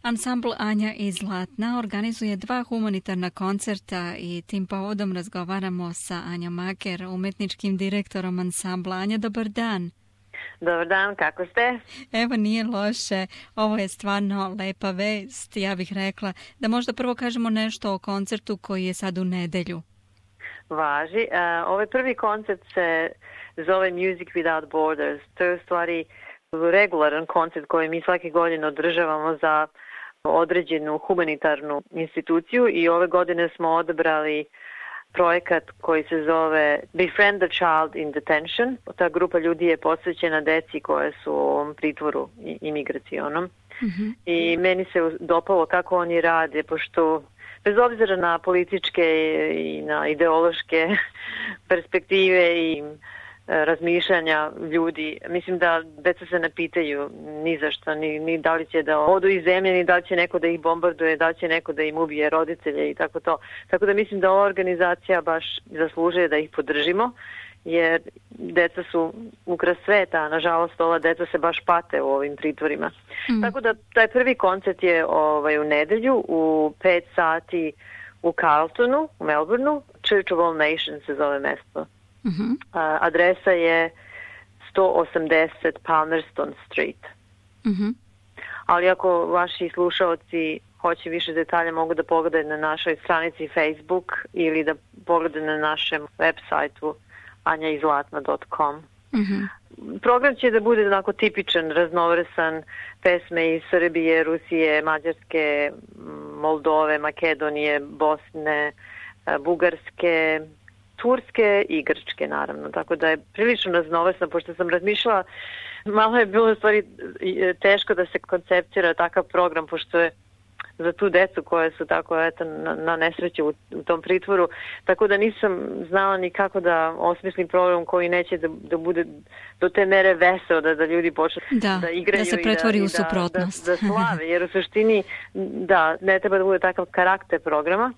Ansambl Anja i Zlatna organizuje 2 humanitarna koncerta i tim povodom razgovaramo sa Anjom Maker, umetničkim direktorom ansambla. Anja, dobar dan. Dobar dan, kako ste? Evo, nije loše. Ovo je stvarno lepa vest. Ja bih rekla da možda prvo kažemo nešto o koncertu koji je sad u nedelju. Važi. Ovaj prvi koncert se zove Music Without Borders. To je u stvari regularan koncert koji mi svake godine održavamo za određenu humanitarnu instituciju i ove godine smo odabrali projekat koji se zove Befriend the Child in Detention. Ta grupa ljudi je posvećena deci koje su u ovom pritvoru imigracionom. Mm-hmm. I meni se dopalo kako oni rade, pošto bez obzira na političke i na ideološke perspektive i razmišljanja ljudi, mislim da deca se ne pitaju ni za što, ni da li će da odu iz zemlje, ni da li će neko da ih bombarduje, da li će neko da im ubije roditelje i tako to. Tako da mislim da ova organizacija baš zaslužuje da ih podržimo, jer deca su ukras sveta, a nažalost ova deca se baš pate u ovim pritvorima. Tako da taj prvi koncert je u nedelju u 5 sati u Carltonu, u Melbourneu. Church of All Nations se zove mesto. Mm-hmm. Adresa je 180 Palmerston Street. Mm-hmm. Ali ako vaši slušaoci hoće više detalja, mogu da pogledaju na našoj stranici Facebook ili da pogledaju na našem web sajtu anjaizlatna.com. Mm-hmm. Program će da bude onako tipičan, raznovrstan, pesme iz Srbije, Rusije, Mađarske, Moldove, Makedonije, Bosne, Bugarske, Turske i Grčke, naravno. Tako da je prilično raznovrsno, pošto sam razmišljala, malo je bilo u stvari teško da se konceptira takav program, pošto je za tu decu koje su tako na nesreću u tom pritvoru, tako da nisam znala ni kako da osmislim program koji neće da bude do te mere veseo, da ljudi počnu da igraju, da se pretvori u suprotnost. Da slave, jer u suštini ne treba da bude takav karakter programa.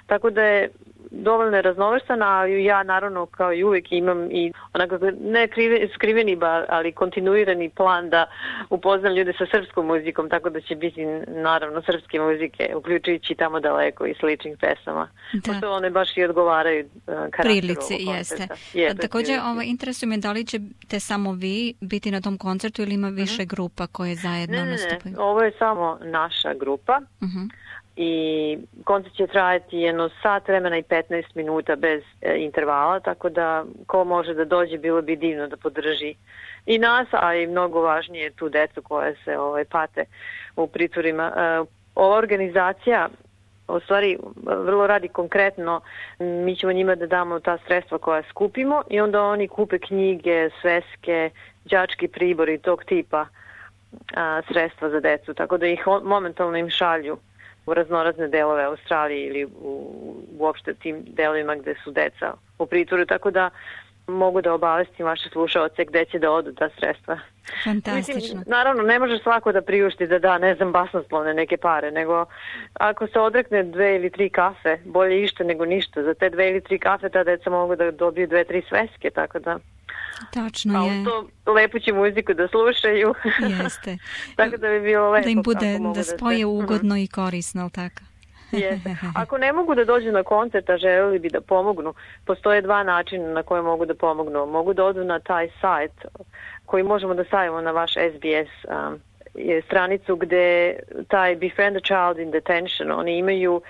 Tako da je dovoljno raznovrstan, ali ja naravno kao i uvijek imam i onako ne skriveni, ali kontinuirani plan da upoznam ljude sa srpskom muzikom, tako da će biti naravno srpske muzike, uključujući Tamo daleko i sličnih pesama. Pošto one baš i odgovaraju karakteru prilici, jeste. Također interesuje me da li ćete samo vi biti na tom koncertu ili ima više grupa koje zajedno nastupaju? Ne, ovo je samo naša grupa. I koncert će trajati jedno sat vremena i 15 minuta bez intervala, tako da ko može da dođe, bilo bi divno da podrži i nas, a i mnogo važnije tu decu koje se pate u pritvorima. Ova organizacija u stvari vrlo radi konkretno, mi ćemo njima da damo ta sredstva koja skupimo i onda oni kupe knjige, sveske, đački pribori tog tipa sredstva za decu, tako da ih momentalno im šalju u raznorazne delove Australije ili uopšte tim delovima gde su deca u pritvoru, tako da mogu da obavestim vaše slušaoce gde će da odu ta sredstva. Fantastično. Mislim, naravno, ne može svako da priušti da ne znam, basnoslovne neke pare, nego ako se odrekne 2 ili 3 kafe, bolje išta nego ništa. Za te 2 ili 3 kafe ta deca mogu da dobiju 2-3 sveske, tako da... Tačno je. A to lepu će muziku da slušaju. Jeste. Tako da bi bilo lepo. Da im bude, da spoje ugodno i korisno, ali tako? Jeste. Ako ne mogu da dođu na koncert, a želeli bi da pomognu, postoje 2 načina na koje mogu da pomognu. Mogu da odu na taj sajt koji možemo da stavimo na vaš SBS stranicu gde taj Befriend the Child in Detention, oni imaju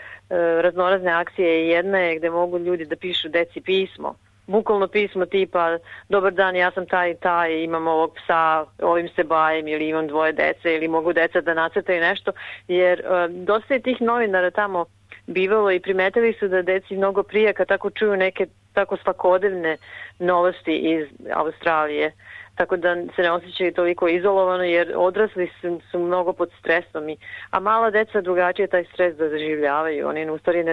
raznorazne akcije i jedna je gde mogu ljudi da pišu deci pismo. Bukvalno pismo tipa, dobar dan, ja sam taj i taj, imam ovog psa, ovim se bavim ili imam 2 dece ili mogu deca da nacrtaju nešto, jer dosta je tih novinara tamo bivalo i primetili su da deci mnogo prije kad tako čuju neke tako svakodnevne novosti iz Australije. Tako da se ne osjećaju toliko izolovano jer odrasli su mnogo pod stresom. A mala deca drugačije taj stres da doživljavaju. Oni u stvari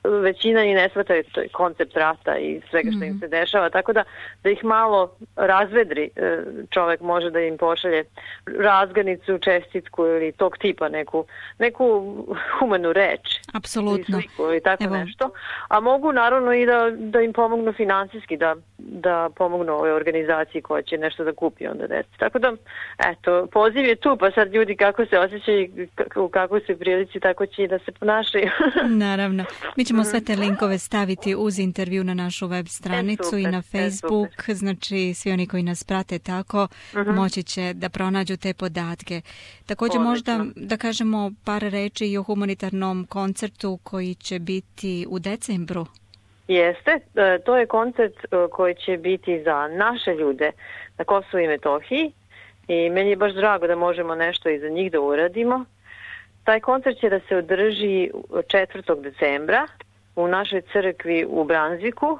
većina i ne shvataju koncept rata i svega što im se dešava. Tako da ih malo razvedri, čovek može da im pošalje razgranicu, čestitku ili tog tipa neku humanu reč. Apsolutno. Ili tako nešto. A mogu naravno i da im pomognu finansijski, da da pomognu ovoj organizaciji koja će nešto da kupi onda deci. Tako da, eto, poziv je tu, pa sad ljudi kako se osjećaju, u kakvoj su prilici, tako će i da se ponašaju. Naravno. Mi ćemo sve te linkove staviti uz intervju na našu web stranicu super, i na Facebook, znači svi oni koji nas prate tako moći će da pronađu te podatke. Također možda da kažemo par reči i o humanitarnom koncertu koji će biti u decembru. Jeste, to je koncert koji će biti za naše ljude na Kosovu i Metohiji i meni je baš drago da možemo nešto i za njih da uradimo. Taj koncert će da se održi 4. decembra u našoj crkvi u Branzviku,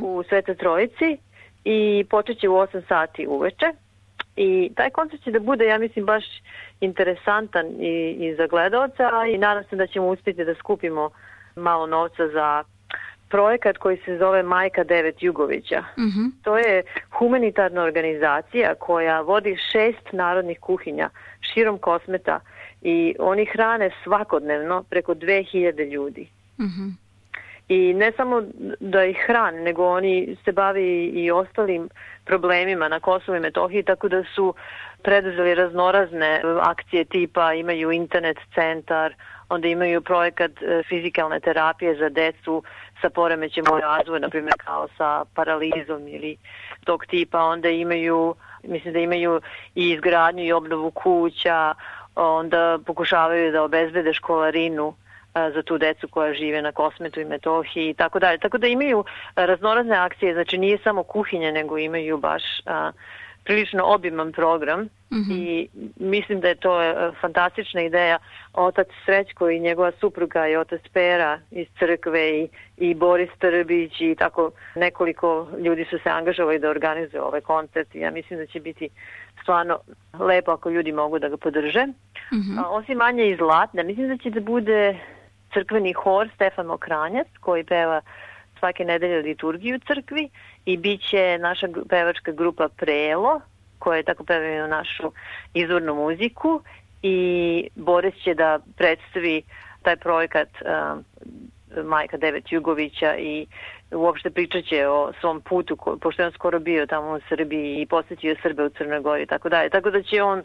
u Svetoj Trojici i počet će u 8 sati uveče. I taj koncert će da bude, ja mislim, baš interesantan i za gledaoca i nadam se da ćemo uspjeti da skupimo malo novca za projekat koji se zove Majka 9 Jugovića. To je humanitarna organizacija koja vodi 6 narodnih kuhinja širom Kosmeta i oni hrane svakodnevno preko 2000 ljudi. I ne samo da ih hrane, nego oni se bavi i ostalim problemima na Kosovu i Metohiji, tako da su preduzeli raznorazne akcije tipa imaju internet centar, onda imaju projekat fizikalne terapije za decu sa poremećem u razvoju, na primjer kao sa paralizom ili tog tipa, onda imaju, mislim da imaju i izgradnju i obnovu kuća, onda pokušavaju da obezbede školarinu za tu decu koja žive na Kosmetu i Metohiji i tako dalje. Tako da imaju raznorazne akcije, znači nije samo kuhinje, nego imaju baš prilično obiman program i mislim da je to fantastična ideja. Otac Srećko i njegova supruga i otac Pera iz crkve i Boris Trbić i tako nekoliko ljudi su se angažovali da organizuju ovaj koncert i ja mislim da će biti stvarno lepo ako ljudi mogu da ga podrže. Osim Anje iz Zlatna, mislim da će da bude crkveni hor Stefan Mokranjac koji peva svake nedelje liturgiju u crkvi i bit će naša pevačka grupa Prelo koja tako pevaju našu izvornu muziku i Boris će da predstavi taj projekat Majka 9 Jugovića i uopšte pričat će o svom putu, pošto je on skoro bio tamo u Srbiji i posjetio Srbe u Crnoj Gori i tako dalje. Tako da će on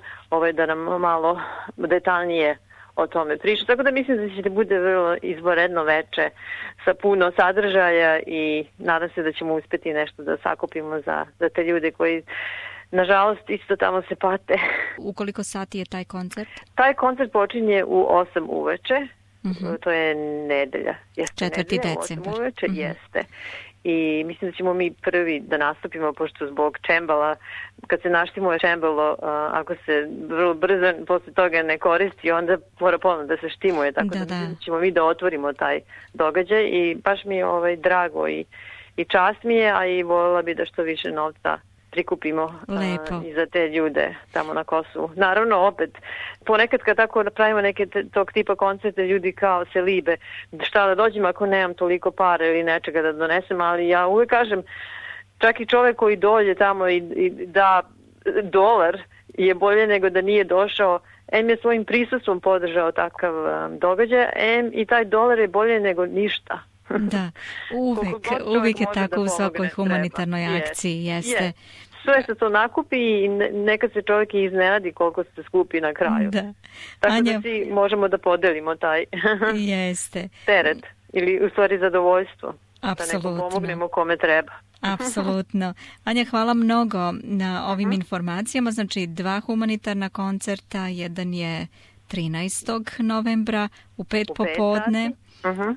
da nam malo detaljnije o tome priča. Tako da mislim da će da bude vrlo izvanredno veče sa puno sadržaja i nadam se da ćemo uspjeti nešto da sakupimo za te ljude koji nažalost isto tamo se pate. U koliko sati je taj koncert? Taj koncert počinje u 8 uveče. To je nedelja. 4. decembar. 8 uveče, jeste. I mislim da ćemo mi prvi da nastupimo, pošto zbog čembala, kad se naštimuje čembalo, ako se vrlo brzo posle toga ne koristi, onda mora ponovno da se štimuje, tako da ćemo mi da otvorimo taj događaj i baš mi je drago i čast mi je, a i voljela bi da što više novca prikupimo i za te ljude tamo na Kosovu. Naravno, opet, ponekad kad tako pravimo neke tog tipa koncerte, ljudi kao se libe šta da dođem ako nemam toliko para ili nečega da donesem, ali ja uvijek kažem, čak i čovjek koji dođe tamo i da $1 je bolje nego da nije došao, je svojim prisustvom podržao takav događaj, i taj $1 je bolje nego ništa. Da, uvijek je tako u svakoj humanitarnoj akciji, jeste. Sve se to nakupi i nekad se čovjek i iznenadi koliko se skupi na kraju. Da. Tako Anja, da svi možemo da podelimo taj teret ili u stvari zadovoljstvo. Apsolutno. Da neko pomognemo kome treba. Apsolutno. Anja, hvala mnogo na ovim informacijama. Znači 2 humanitarna koncerta, jedan je 13. novembra u 5 popodne.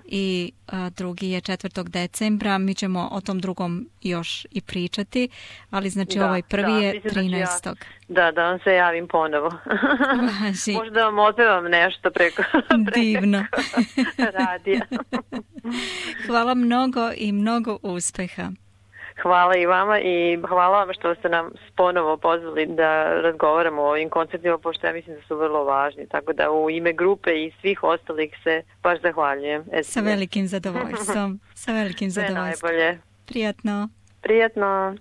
I drugi je 4. decembra. Mi ćemo o tom drugom još i pričati, ali znači ovaj prvi je 13. Da vam se javim ponovo. Možda vam odpevam nešto preko divno radija. Hvala mnogo i mnogo uspeha. Hvala i vama i hvala vam što ste nam ponovo pozvali da razgovaramo o ovim koncertima, pošto ja mislim da su vrlo važni. Tako da u ime grupe i svih ostalih se baš zahvaljujem. Sa velikim zadovoljstvom. Sa velikim zadovoljstvom. Sve najbolje. Prijatno. Prijatno.